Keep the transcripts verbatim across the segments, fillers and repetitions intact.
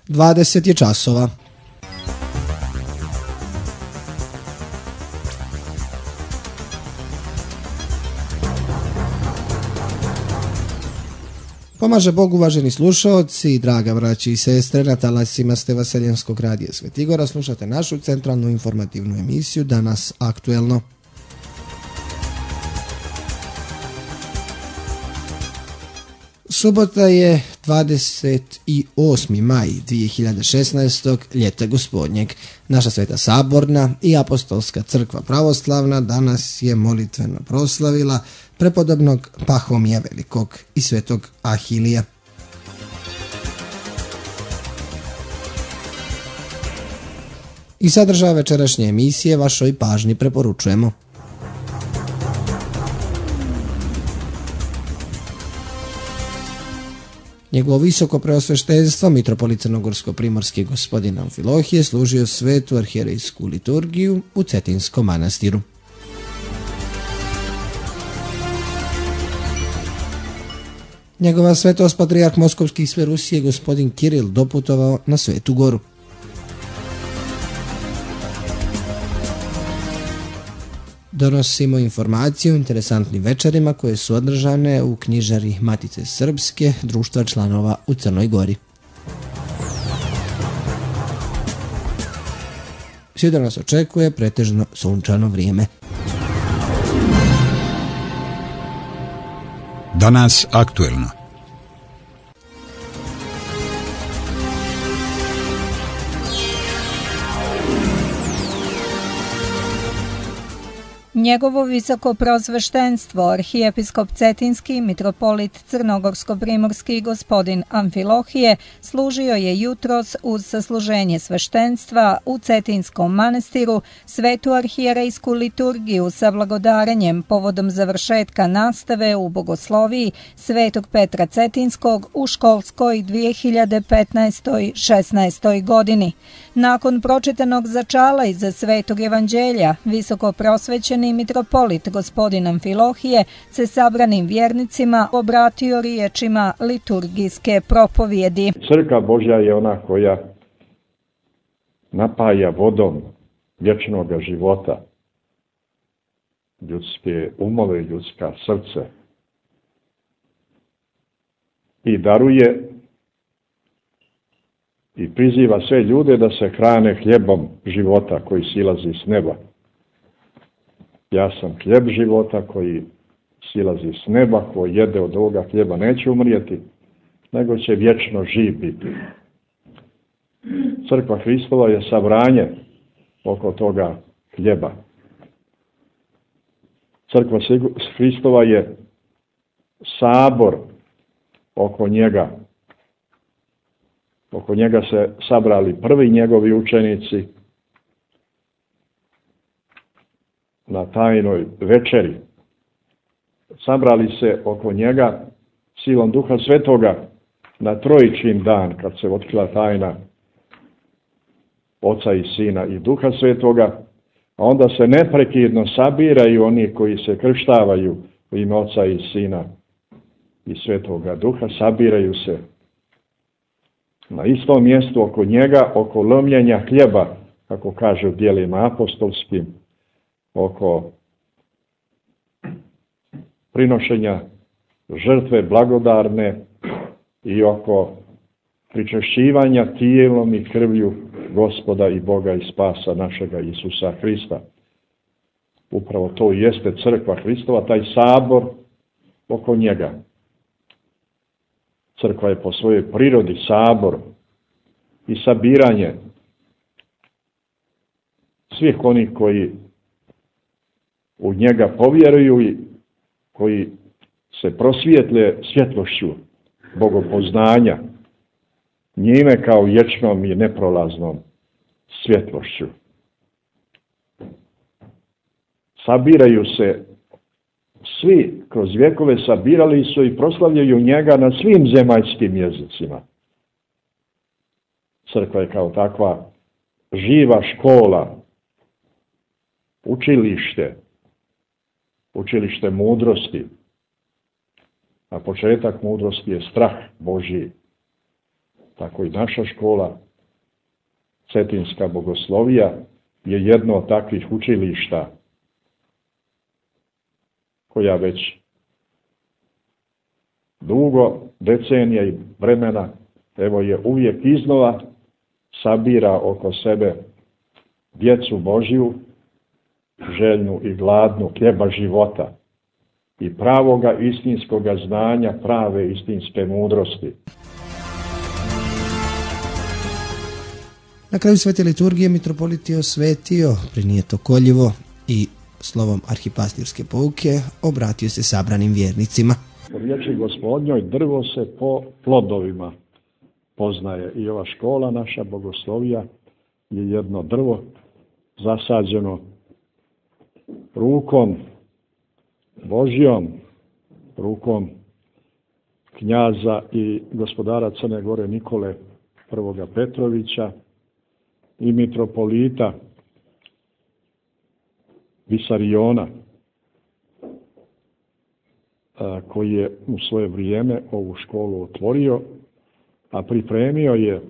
dvadeset je časova. Pomaže Bog, uvaženi slušaoci, draga braći i sestre, na talasima ste Vaseljenskog radija Svetigora, slušate našu centralnu informativnu emisiju Danas aktuelno. Subota je dvadeset osmi maj dvije hiljade šesnaestog. ljeta gospodnjeg. Naša Sveta Saborna i Apostolska crkva pravoslavna danas je molitveno proslavila prepodobnog Pahomija Velikog i svetog Ahilija. I sadržaj večerašnje emisije vašoj pažnji preporučujemo. Njegovo visoko preosveštenstvo, mitropolit crnogorsko-primorski gospodin Amfilohije, služio svetu arhijerejsku liturgiju u Cetinskom manastiru. Njegova svetost patrijarh Moskovski i sve Rusije gospodin Kiril doputovao na Svetu Goru. Donosimo informaciju o interesantnim večerima koje su održane u knjižari Matice Srpske, društva članova u Crnoj Gori. Sutra nas očekuje pretežno sunčano vrijeme. Danas aktuelno. Njegovo visoko preosveštenstvo, arhijepiskop Cetinski, mitropolit crnogorsko-primorski gospodin Amfilohije, služio je jutros uz sasluženje sveštenstva u Cetinskom manastiru svetu arhijerejsku liturgiju sa blagodarenjem povodom završetka nastave u bogosloviji Svetog Petra Cetinskog u školskoj dvije hiljade petnaestoj šesnaestoj godini. Nakon pročitanog začala iza Svetog evanđelja, visoko prosvećeni mitropolit gospodin Amfilohije se sabranim vjernicima obratio riječima liturgijske propovjedi. Crkva Božja je ona koja napaja vodom vječnog života ljudske umove, ljudska srce i daruje i priziva sve ljude da se hrane hljebom života koji silazi s neba. Ja sam hljeb života koji silazi s neba, koji jede od ovoga hljeba neće umrijeti, nego će vječno živ biti. Crkva Hristova je sabranje oko toga hljeba. Crkva Hristova je sabor oko njega. Oko njega se sabrali prvi njegovi učenici na tajnoj večeri. Sabrali se oko njega silom Duha Svetoga na Trojičin dan, kad se otkrila tajna Oca i Sina i Duha Svetoga, a onda se neprekidno sabiraju oni koji se krštavaju u ime Oca i Sina i Svetoga Duha, sabiraju se na istom mjestu oko njega, oko lomljenja hljeba, kako kaže u djelima apostolskim, oko prinošenja žrtve blagodarne i oko pričešćivanja tijelom i krvlju Gospoda i Boga i spasa našega Isusa Hrista. Upravo to jeste crkva Hristova, taj sabor oko njega. Crkva je po svojoj prirodi sabor i sabiranje svih onih koji u njega povjeruju i koji se prosvijetle svjetlošću bogopoznanja, njime kao vječnom i neprolaznom svjetlošću. Sabiraju se svi, kroz vjekove sabirali su i proslavljaju njega na svim zemaljskim jezicima. Crkva je kao takva živa škola, učilište, učilište mudrosti. A početak mudrosti je strah Božji. tako i naša škola, Cetinska bogoslovija, je jedno od takvih učilišta koja već dugo decenija i vremena, evo je uvijek iznova sabira oko sebe djecu Božju, željnu i gladnu hljeba života i pravoga istinskoga znanja, prave istinske mudrosti. Na kraju svete liturgije mitropolit je osvetio prinijeto koljivo i slovom arhipastirske pouke obratio se sabranim vjernicima. U riječi Gospodnjoj drvo se po plodovima poznaje i ova škola naša bogoslovija je jedno drvo zasađeno rukom Božjom, rukom knjaza i gospodara Crne Gore Nikole I. Petrovića i mitropolita Visariona, koji je u svoje vrijeme ovu školu otvorio, a pripremio je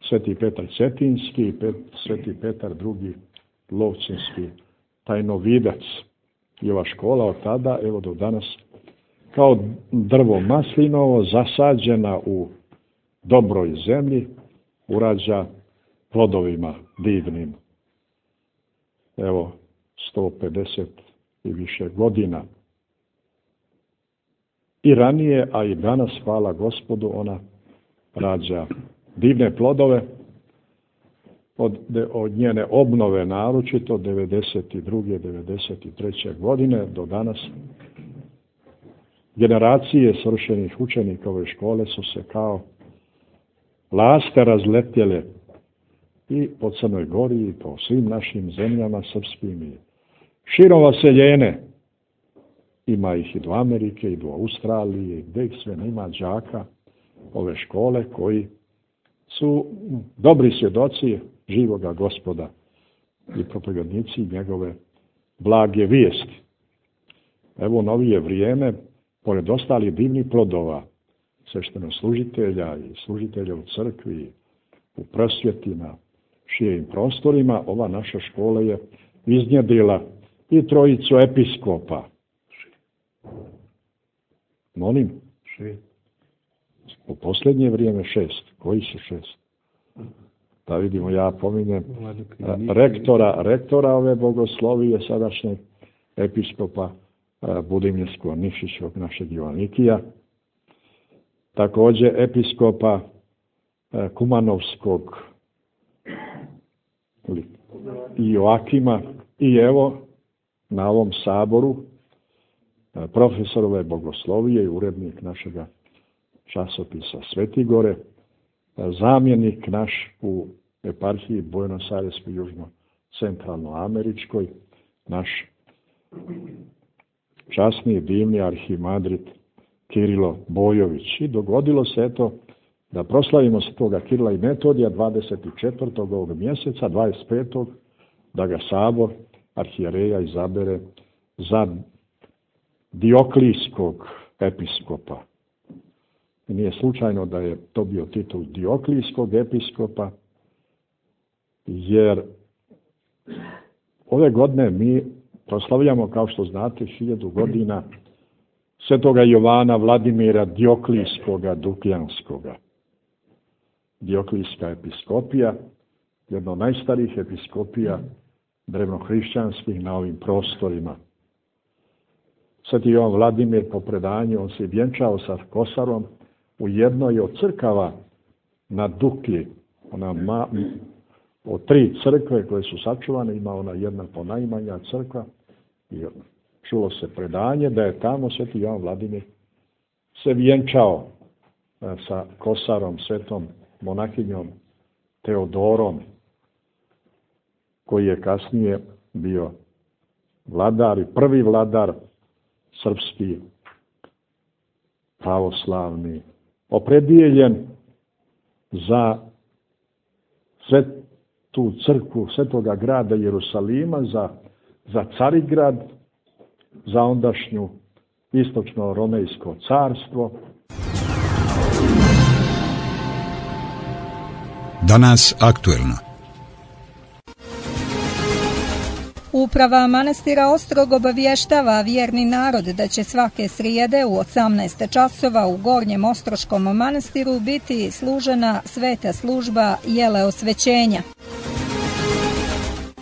Sveti Petar Cetinski i Sveti Petar drugi Lovćinski tajnovidac. I ova škola od tada, evo do danas, kao drvo maslinovo zasađena u dobroj zemlji, urađa plodovima divnim. Evo, sto pedeset i više godina. I ranije, a i danas, hvala Gospodu, ona rađa divne plodove. Od, od njene obnove naročito devedeset druge devedeset treće godine do danas generacije svršenih učenika ove škole su se kao laste razletjele i po Crnoj Gori i po svim našim zemljama srpskim i širom vaseljene. Ima ih i do Amerike i do Australije, gdje ih sve nema đaka ove škole koji su dobri svjedoci živoga Gospoda i propovjednici njegove blage vijesti. Evo novije vrijeme, pored ostalih divnih plodova, sveštenoslужitelja i služitelja u crkvi, u prosvjeti na širim prostorima, ova naša škola je iznjedrila i trojicu episkopa. Molim? Šest. U posljednje vrijeme šest. Koji su šest? Da vidimo, ja pominjem rektora, rektora ove bogoslovije, sadašnjeg episkopa Budimljskog Nikšićevog našeg Joanikija. Također episkopa Kumanovskog Joakima i evo na ovom saboru profesorove bogoslovije i urednik našega časopisa Svetigore, zamjenik naš u eparhiji Buenos Aireskoj južno-centralnoameričkoj, naš časni i divni arhimandrit Kirilo Bojović. I dogodilo se eto da proslavimo se toga Kirila i Metodija dvadeset četvrtog ovog mjeseca, dvadeset petog da ga sabor arhijereja izabere za Dioklijskog episkopa. I nije slučajno da je to bio titul Dioklijskog episkopa, jer ove godine mi proslavljamo, kao što znate, hiljadu godina svetoga Jovana Vladimira Dioklijskoga Dukljanskoga. Dioklijska episkopija, jedna od najstarijih episkopija drevnohrišćanskih na ovim prostorima. Sveti Jovan Vladimir, po predanju, on se vjenčao sa kosarom u jednoj od crkava na Duklji. Ona ma, od tri crkve koje su sačuvane, ima ona jedna ponajmanja crkva. I čulo se predanje da je tamo sveti Jovan Vladimir se vjenčao sa kosarom, svetom monahinjom Teodorom, koji je kasnije bio vladar i prvi vladar srpski, pravoslavni, opredijeljen za svetu crkvu svetoga grada Jerusalima, za, za Carigrad, za ondašnju istočno-romejsko carstvo. Danas aktuelno. Uprava manastira Ostrog obavještava vjerni narod da će svake srijede u osamnaest časova u Gornjem Ostroškom manastiru biti služena sveta služba jele osvećenja.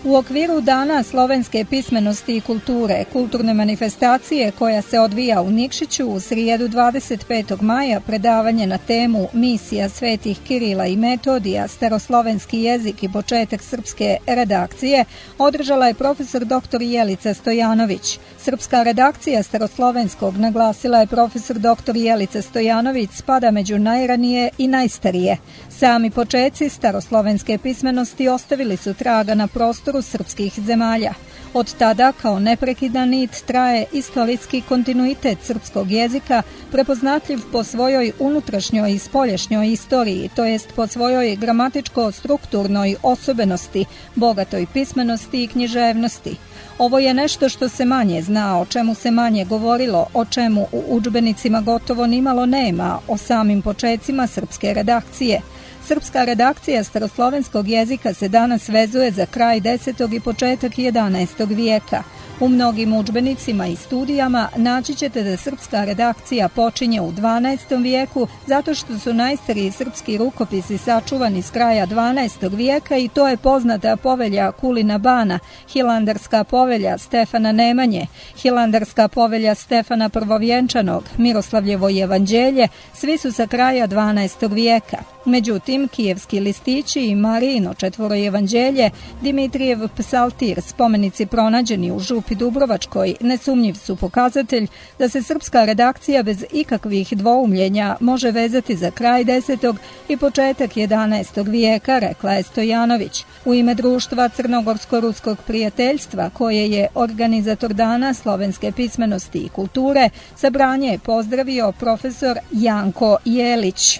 U okviru Dana slovenske pismenosti i kulture, kulturne manifestacije koja se odvija u Nikšiću u srijedu dvadeset petog maja, predavanje na temu Misija svetih Kirila i Metodija, staroslovenski jezik i početak srpske redakcije, održala je profesor doktor Jelica Stojanović. Srpska redakcija staroslovenskog, naglasila je profesor doktor Jelica Stojanović, spada među najranije i najstarije. Sami počeci staroslovenske pismenosti ostavili su traga na prostoru srpskih zemalja. Od tada kao neprekidan nit traje istorijski kontinuitet srpskog jezika, prepoznatljiv po svojoj unutrašnjoj i spoljašnjoj istoriji, to jest po svojoj gramatičko-strukturnoj osobenosti, bogatoj pismenosti i književnosti. Ovo je nešto što se manje zna, o čemu se manje govorilo, o čemu u udžbenicima gotovo nimalo nema, o samim počecima srpske redakcije. Srpska redakcija staroslovenskog jezika se danas vezuje za kraj desetog i početak jedanaestog vijeka. U mnogim udžbenicima i studijama naći ćete da srpska redakcija počinje u dvanaestom vijeku zato što su najstariji srpski rukopisi sačuvani s kraja dvanaestog vijeka i to je poznata povelja Kulina Bana, Hilandarska povelja Stefana Nemanje, Hilandarska povelja Stefana Prvovjenčanog, Miroslavljevo evanđelje, svi su sa kraja dvanaestog vijeka. Međutim, kijevski listići i Marijino četvorojevanđelje, Dimitrijev psaltir, spomenici pronađeni u Župi Dubrovačkoj, nesumnjiv su pokazatelj da se srpska redakcija bez ikakvih dvoumljenja može vezati za kraj desetog i početak jedanaestog vijeka, rekla je Stojanović. U ime društva Crnogorsko-ruskog prijateljstva, koje je organizator Dana slovenske pismenosti i kulture, sabranje je pozdravio profesor Janko Jelić.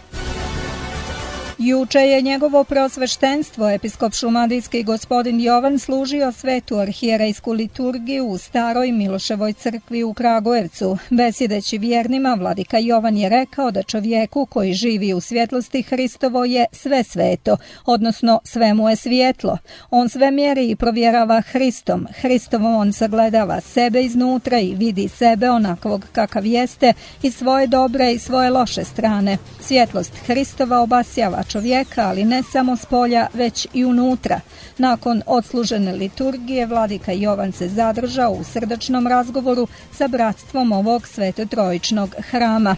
Juče je njegovo preosveštenstvo, episkop šumadijski gospodin Jovan, služio svetu arhijerejsku liturgiju u staroj Miloševoj crkvi u Kragujevcu. Besjedeći vjernima, vladika Jovan je rekao da čovjeku koji živi u svjetlosti Hristovo je sve sveto, odnosno sve mu je svjetlo. On sve mjeri i provjerava Hristom. Hristovom on sagledava sebe iznutra i vidi sebe onakvog kakav jeste i svoje dobre i svoje loše strane. Svjetlost Hristova obasjava čovjeka, ali ne samo s polja, već i unutra. Nakon odslužene liturgije, vladika Jovan se zadržao u srdačnom razgovoru sa bratstvom ovog svetotrojičnog hrama.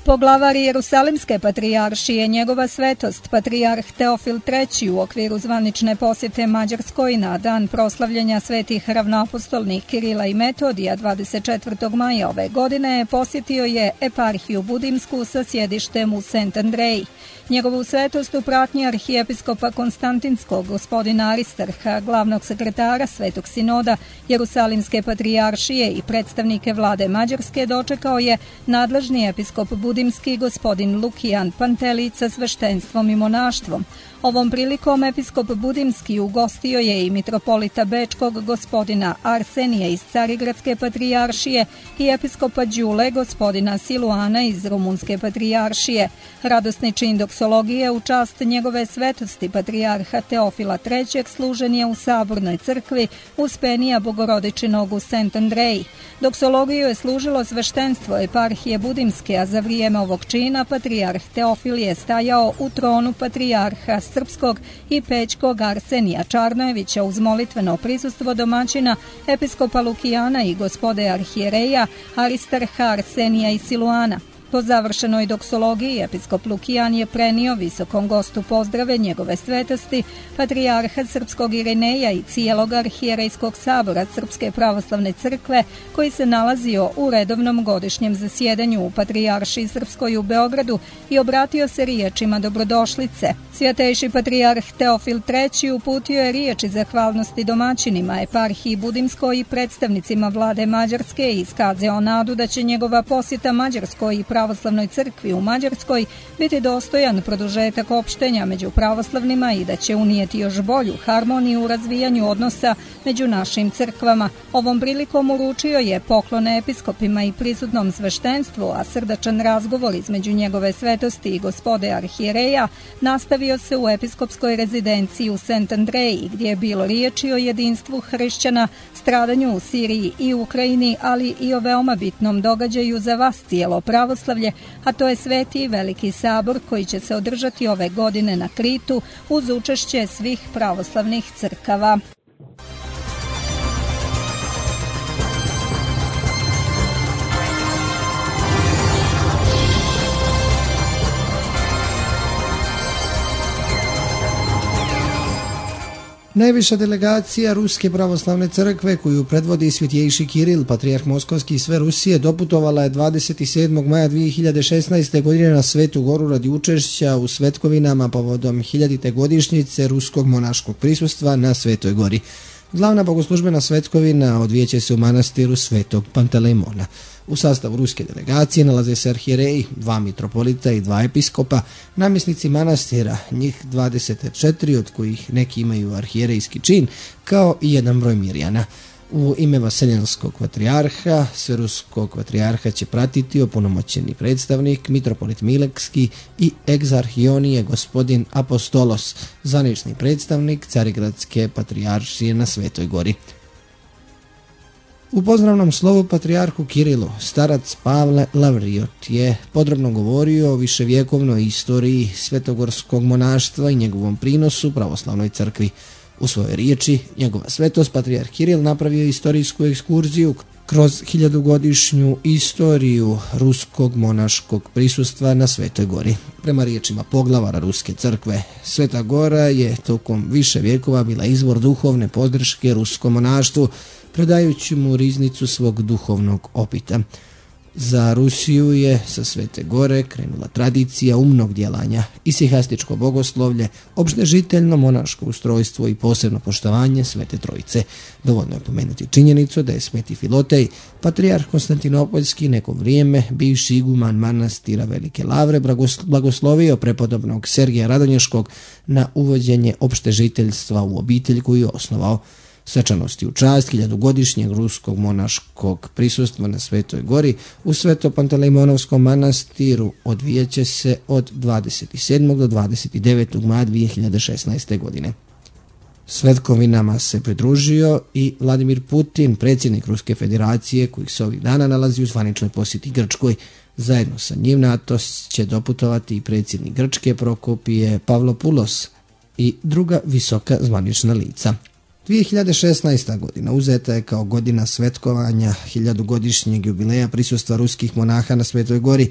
Poglavar Jerusalimske patrijaršije, njegova svetost, patrijarh Teofil treći, u okviru zvanične posjete Mađarskoj na dan proslavljanja svetih ravnoapostolnih Kirila i Metodija dvadeset četvrtog maja ove godine, posjetio je eparhiju Budimsku sa sjedištem u Sent Andreji. Njegovu svetost u pratnji arhijepiskopa Konstantinskog, gospodina Aristarha, glavnog sekretara Svetog sinoda Jerusalimske patrijaršije i predstavnike vlade Mađarske, dočekao je nadležni episkop Budimski, gospodin Lukijan Pantelić, sa sveštenstvom i monaštvom. Ovom prilikom episkop Budimski ugostio je i mitropolita Bečkog, gospodina Arsenija iz Carigradske patrijaršije i episkopa Đule, gospodina Siluana iz Rumunske patrijaršije. Radosni čin doksologije u čast njegove svetosti patrijarha Teofila trećeg služen je u Sabornoj crkvi Uspenija Bogorodičinog u Sent Andreji. Doksologiju je služilo sveštenstvo eparhije Budimske, a za vrijeme ovog čina patrijarh Teofil je stajao u tronu patrijarha srpskog i pećkog Arsenija Čarnojevića uz molitveno prisustvo domaćina episkopa Lukijana i gospode arhijereja Aristarha, Arsenija i Siluana. Po završenoj doksologiji episkop Lukijan je prenio visokom gostu pozdrave njegove svetosti, patrijarha srpskog Irineja i cijelog arhijerejskog sabora Srpske pravoslavne crkve, koji se nalazio u redovnom godišnjem zasjedanju u Patrijaršiji Srpskoj u Beogradu, i obratio se riječima dobrodošlice. Svjatejši patrijarh Teofil treći uputio je riječi zahvalnosti domaćinima eparhiji Budimskoj i predstavnicima vlade Mađarske i iskazao nadu da će njegova posjeta Mađarskoj i pravoslavnoj pravoslavnoj crkvi u Mađarskoj biti dostojan produžetak opštenja među pravoslavnima i da će unijeti još bolju harmoniju u razvijanju odnosa među našim crkvama. Ovom prilikom uručio je poklone episkopima i prisutnom sveštenstvu, a srdačan razgovor između njegove svetosti i gospode arhijereja nastavio se u episkopskoj rezidenciji u Sant Andreji, gdje je bilo riječi o jedinstvu hrišćana, stradanju u Siriji i Ukrajini, ali i o veoma bitnom događaju za vas cijelo pravoslavlje, a to je Sveti i Veliki sabor koji će se održati ove godine na Kritu uz učešće svih pravoslavnih crkava. Najviša delegacija Ruske pravoslavne crkve, koju predvodi Svjetjejši Kiril, patrijarh Moskovski i sve Rusije, doputovala je dvadeset sedmog maja dvije hiljade šesnaeste. godine na Svetu Goru radi učešća u svetkovinama povodom hiljadite godišnjice ruskog monaškog prisustva na Svetoj Gori. Glavna bogoslužbena svetkovina odvijeće se u manastiru Svetog Pantelejmona. U sastavu ruske delegacije nalaze se arhijereji, dva mitropolita i dva episkopa, namjesnici manastira, njih dvadeset četiri, od kojih neki imaju arhijerejski čin, kao i jedan broj mirjana. U ime Vaseljenskog patrijarha, sveruskog patrijarha će pratiti opunomoćeni predstavnik, mitropolit Milekski i egzarhionije gospodin Apostolos, zvanični predstavnik Carigradske patrijaršije na Svetoj Gori. U pozdravnom slovu patrijarhu Kirilu, starac Pavle Lavriot je podrobno govorio o viševjekovnoj istoriji svetogorskog monaštva i njegovom prinosu pravoslavnoj crkvi. U svojoj riječi, njegova svetost patrijarh Kiril napravio istorijsku ekskurziju kroz hiljadugodišnju istoriju ruskog monaškog prisustva na Svetoj Gori. Prema riječima poglavara Ruske crkve, Sveta Gora je tokom više vjekova bila izvor duhovne podrške ruskom monaštvu, predajući mu riznicu svog duhovnog opita. Za Rusiju je sa Svete Gore krenula tradicija umnog djelanja, isihastičko bogoslovlje, opštežiteljno monaško ustrojstvo i posebno poštovanje Svete Trojice. Dovoljno je pomenuti činjenicu da je Sveti Filotej, patrijarh Konstantinopoljski, neko vrijeme bivši iguman manastira Velike Lavre, blagoslovio prepodobnog Sergija Radonješkog na uvođenje opštežiteljstva u obitelj koju je osnovao. Svečanosti u čast hiljadugodišnjeg ruskog monaškog prisustva na Svetoj Gori u Sveto-Pantelejmonovskom manastiru odvijeće se od dvadeset sedmog do dvadeset devetog maja dvije hiljade šesnaeste. godine. Svetkovinama se pridružio i Vladimir Putin, predsjednik Ruske federacije, koji se ovih dana nalazi u zvaničnoj posjeti Grčkoj. Zajedno sa njim na Atos će doputovati i predsjednik Grčke Prokopije Pavlopoulos i druga visoka zvanična lica. dvije hiljade šesnaesta. godina uzeta je kao godina svetkovanja hiljadugodišnjeg jubileja prisustva ruskih monaha na Svetoj Gori.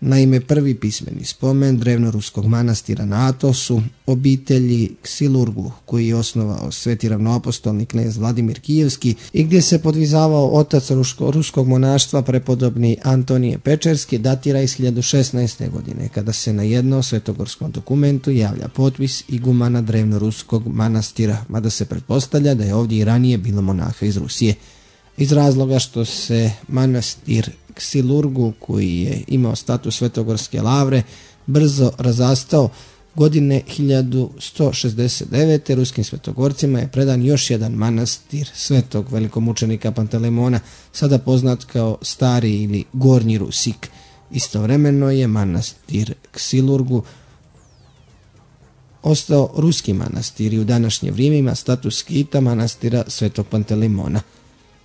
Naime, prvi pismeni spomen drevnoruskog manastira na Atosu, obitelji Ksilurgu, koji je osnovao sveti ravnoapostolni knez Vladimir Kijevski i gdje se podvizavao otac ruško, ruskog monaštva prepodobni Antonije Pečerski, datira iz hiljadu šesnaeste. godine, kada se na jednom svetogorskom dokumentu javlja potpis igumana drevnoruskog manastira, mada se pretpostavlja da je ovdje i ranije bilo monaha iz Rusije. Iz razloga što se manastir Ksilurgu, koji je imao status Svetogorske lavre, brzo razastao, godine hiljadu sto šezdeset devete. ruskim svetogorcima je predan još jedan manastir svetog velikomučenika Pantelejmona, sada poznat kao Stari ili Gornji Rusik. Istovremeno je manastir Ksilurgu ostao ruski manastir i u današnje vrijeme ima status skita manastira Svetog Pantelejmona.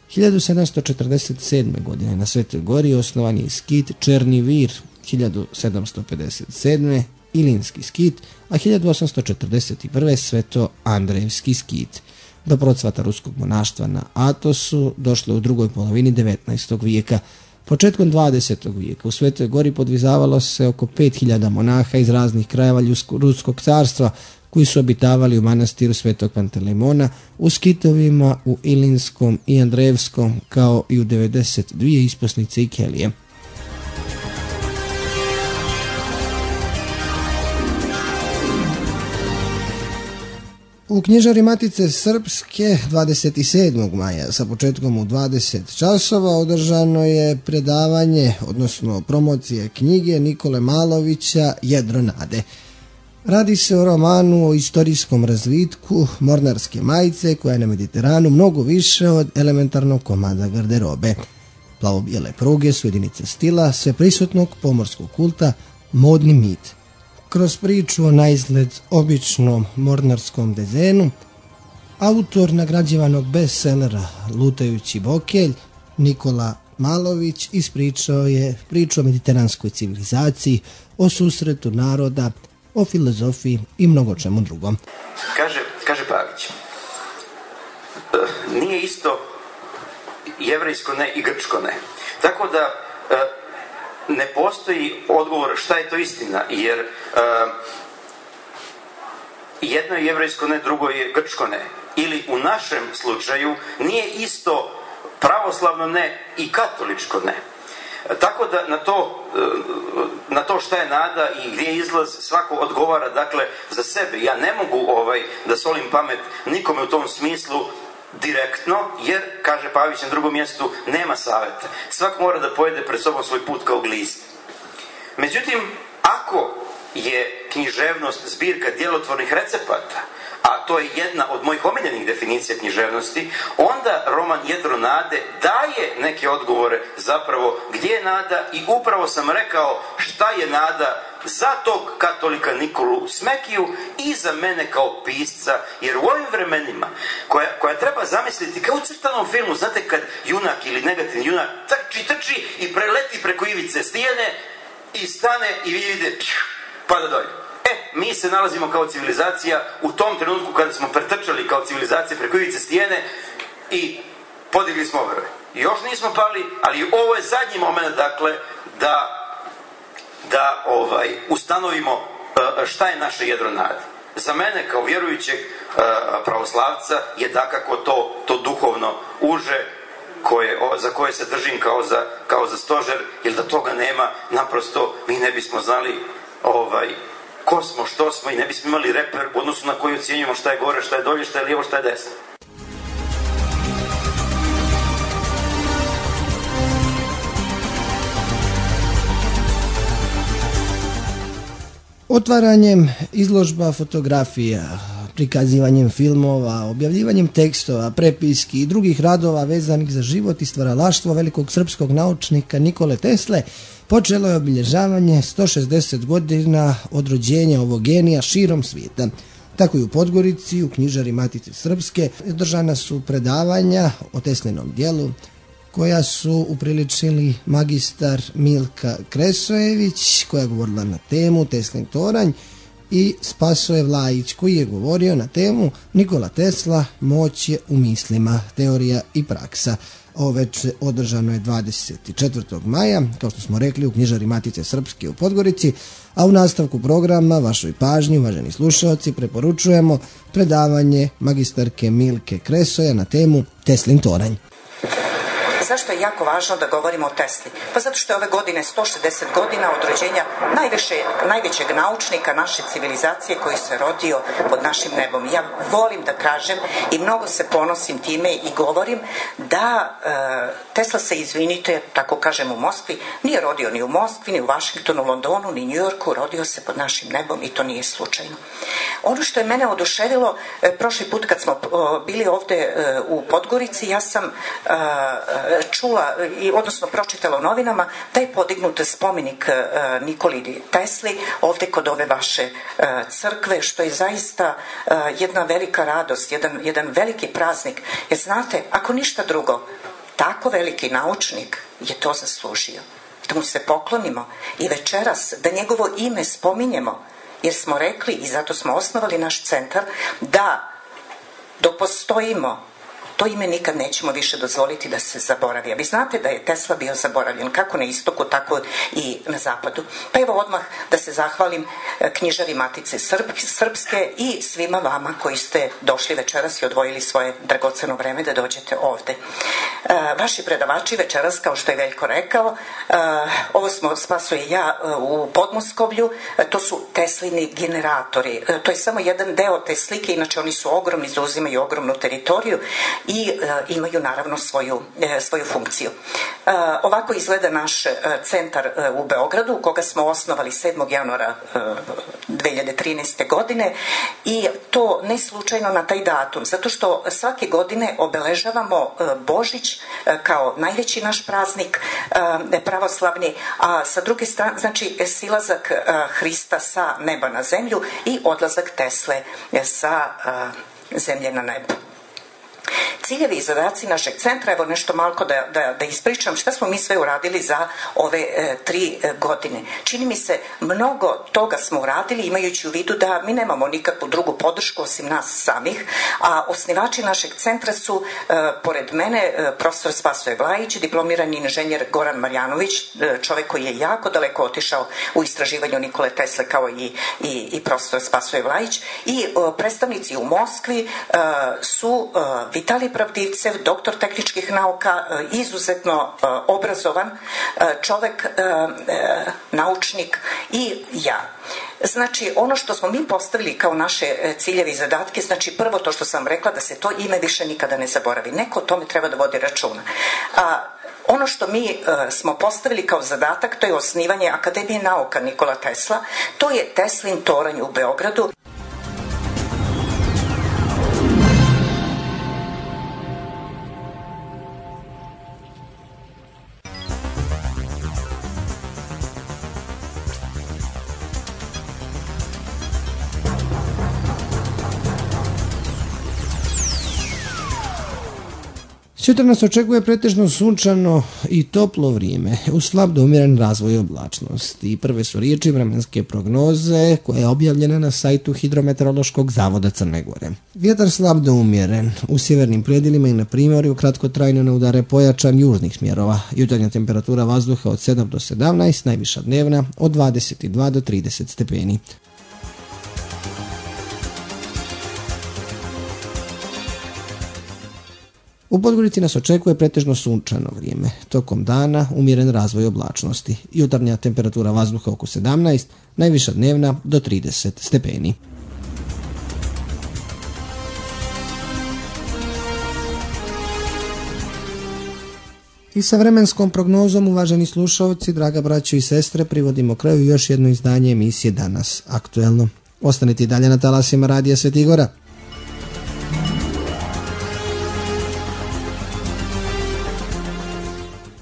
hiljadu sedamsto četrdeset sedme. godine na Svetoj Gori osnovan je skit Černi Vir, hiljadu sedamsto pedeset sedme. Ilinski skit, a hiljadu osamsto četrdeset prve. Sveto Andrejevski skit. Do procvata ruskog monaštva na Atosu došlo je u drugoj polovini devetnaestog. vijeka. Početkom dvadesetog. vijeka u Svetoj Gori podvizavalo se oko pet hiljada monaha iz raznih krajeva Ruskog carstva, koji su obitavali u manastiru Svetog Pantelejmona, u skitovima u Ilinskom i Andrejevskom, kao i u devedeset dvije isposnice i kelije. U knjižari Matice Srpske dvadeset sedmog maja sa početkom u dvadeset časova održano je predavanje, odnosno promocija knjige Nikole Malovića Jedro nade. Radi se o romanu o istorijskom razvitku mornarske majice koja je na Mediteranu mnogo više od elementarnog komada garderobe. Plavo-bijele pruge su jedinice stila sveprisutnog pomorskog kulta, modni mit. Kroz priču o naizgled običnom mornarskom dezenu, autor nagrađivanog bestsellera Lutajući bokelj, Nikola Malović, ispričao je priču o mediteranskoj civilizaciji, o susretu naroda, o filozofiji i mnogo čemu drugom. Kaže, kaže Pavić, nije isto jevrejsko ne i grčko ne. Tako da ne postoji odgovor šta je to istina, jer uh, jedno je jevrejsko ne, drugo je grčko ne. Ili u našem slučaju nije isto pravoslavno ne i katoličko ne. Tako da na to, na to šta je nada i gdje je izlaz svako odgovara, dakle, za sebe. Ja ne mogu ovaj, da solim pamet nikome u tom smislu direktno, jer, kaže Pavić na drugom mjestu, nema savjeta. Svak mora da pojede pred sobom svoj put kao glist. Međutim, ako je književnost zbirka djelotvornih recepata, a to je jedna od mojih omiljenih definicija književnosti, onda roman Jedro nade daje neke odgovore zapravo gdje je nada i upravo sam rekao šta je nada za tog katolika Nikolu Smekiju i za mene kao pisca, jer u ovim vremenima koja, koja treba zamisliti kao u crtanom filmu, znate kad junak ili negativni junak trči, trči i preleti preko ivice stijene i stane i vidi pada dolje. E, mi se nalazimo kao civilizacija u tom trenutku kada smo pretrčali kao civilizacija preko ivice stijene i podigli smo obrve. Još nismo pali, ali ovo je zadnji moment, dakle, da da ovaj, ustanovimo uh, šta je naše jedro nade. Za mene kao vjerujućeg uh, pravoslavca je dakako to, to duhovno uže koje, o, za koje se držim kao za, kao za stožer, jer da toga nema, naprosto mi ne bismo znali ovaj, ko smo, što smo i ne bismo imali reper u odnosu na koji ocjenjujemo šta je gore, šta je dolje, šta je lijevo, šta je desno. Otvaranjem izložba fotografija, prikazivanjem filmova, objavljivanjem tekstova, prepiski i drugih radova vezanih za život i stvaralaštvo velikog srpskog naučnika Nikole Tesle počelo je obilježavanje sto šezdeset godina od rođenja ovog genija širom svijeta. Tako i u Podgorici, u knjižari Matice Srpske, održana su predavanja o Teslinom djelu, koja su upriličili magistar Milka Kresojević, koja je govorila na temu Teslin toranj, i Spasoje Vlajić, koji je govorio na temu Nikola Tesla, moć je u mislima, teorija i praksa. Ovo večer održano je dvadeset četvrtog maja, kao što smo rekli, u knjižari Matice Srpske u Podgorici, a u nastavku programa vašoj pažnji, uvaženi slušalci, preporučujemo predavanje magistarke Milke Kresoja na temu Teslin toranj. Zašto je jako važno da govorimo o Tesli? Pa zato što je ove godine sto šezdeset godina od rođenja najviše, najvećeg naučnika naše civilizacije koji se rodio pod našim nebom. Ja volim da kažem i mnogo se ponosim time i govorim da e, Tesla se, izvinite, tako kažem u Moskvi, nije rodio ni u Moskvi, ni u Vašingtonu, Londonu, ni Njujorku, rodio se pod našim nebom i to nije slučajno. Ono što je mene oduševilo, e, prošli put kad smo o, bili ovde e, u Podgorici, ja sam e, čula, odnosno pročitala u novinama da je podignut spomenik Nikoli Tesli ovde kod ove vaše crkve, što je zaista jedna velika radost, jedan, jedan veliki praznik. Jer znate, ako ništa drugo, tako veliki naučnik je to zaslužio. Da mu se poklonimo i večeras da njegovo ime spominjemo, jer smo rekli i zato smo osnovali naš centar da dok postojimo To ime nikad nećemo više dozvoliti da se zaboravi. A vi znate da je Tesla bio zaboravljen kako na istoku, tako i na zapadu. Pa evo odmah da se zahvalim knjižari Matice Srpske i svima vama koji ste došli večeras i odvojili svoje dragoceno vreme da dođete ovde. Vaši predavači večeras, kao što je Veljko rekao, ovo smo Spaso i ja u Podmoskovlju, to su Teslini generatori. To je samo jedan deo te slike, inače oni su ogromni, zauzimaju ogromnu teritoriju i imaju naravno svoju, svoju funkciju. Ovako izgleda naš centar u Beogradu, koga smo osnovali sedmog januara dve hiljade trinaeste. godine i to ne slučajno na taj datum, zato što svake godine obeležavamo Božić kao najveći naš praznik pravoslavni, a sa druge strane, znači silazak Hrista sa neba na zemlju i odlazak Tesle sa zemlje na nebo. Ciljevi i zadaci našeg centra, evo nešto malko da, da, da ispričam šta smo mi sve uradili za ove e, tri e, godine. Čini mi se mnogo toga smo uradili imajući u vidu da mi nemamo nikakvu drugu podršku osim nas samih, a osnivači našeg centra su e, pored mene e, profesor Spasoje Vlajić, diplomirani inženjer Goran Marjanović, e, čovek koji je jako daleko otišao u istraživanju Nikole Tesle kao i, i, i profesor Spasoje Vlajić i e, predstavnici u Moskvi e, su e, Vitalij Pravdivcev, doktor tehničkih nauka, izuzetno obrazovan čovek, naučnik i ja. Znači, ono što smo mi postavili kao naše ciljeve i zadatke, znači prvo to što sam rekla, da se to ime više nikada ne zaboravi. Neko o tome treba da vodi računa. A ono što mi uh, smo postavili kao zadatak, to je osnivanje Akademije nauka Nikola Tesla, to je Teslin toranj u Beogradu. Sutra nas očekuje pretežno sunčano i toplo vrijeme, uz slab do umjeren razvoj oblačnosti. Prve su riječi vremenske prognoze koja je objavljena na sajtu Hidrometeorološkog zavoda Crne Gore. Vjetar slab do umjeren, u sjevernim predjelima i na primorju kratkotrajno ne udare pojačan južnih smjerova. Jutarnja temperatura vazduha od sedam do sedamnaest, najviša dnevna od dvadeset dva do trideset stepeni. U Podgorici nas očekuje pretežno sunčano vrijeme. Tokom dana umjeren razvoj oblačnosti. Jutarnja temperatura vazduha oko sedamnaest, najviša dnevna do trideset stepeni. I sa vremenskom prognozom, uvaženi slušalci, draga braćo i sestre, privodimo kraju još jedno izdanje emisije Danas aktuelno. Ostanite i dalje na talasima Radija Sveti Gora.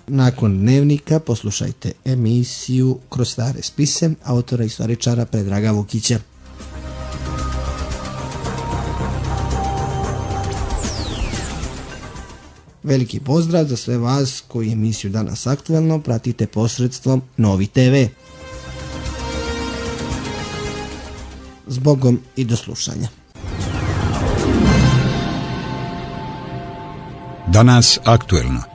Nakon dnevnika poslušajte emisiju Kroz stare spise autora i istoričara Predraga Vukića. Veliki pozdrav za sve vas koji emisiju Danas aktuelno pratite posredstvom Novi te ve. Zbogom i do slušanja. Danas aktuelno.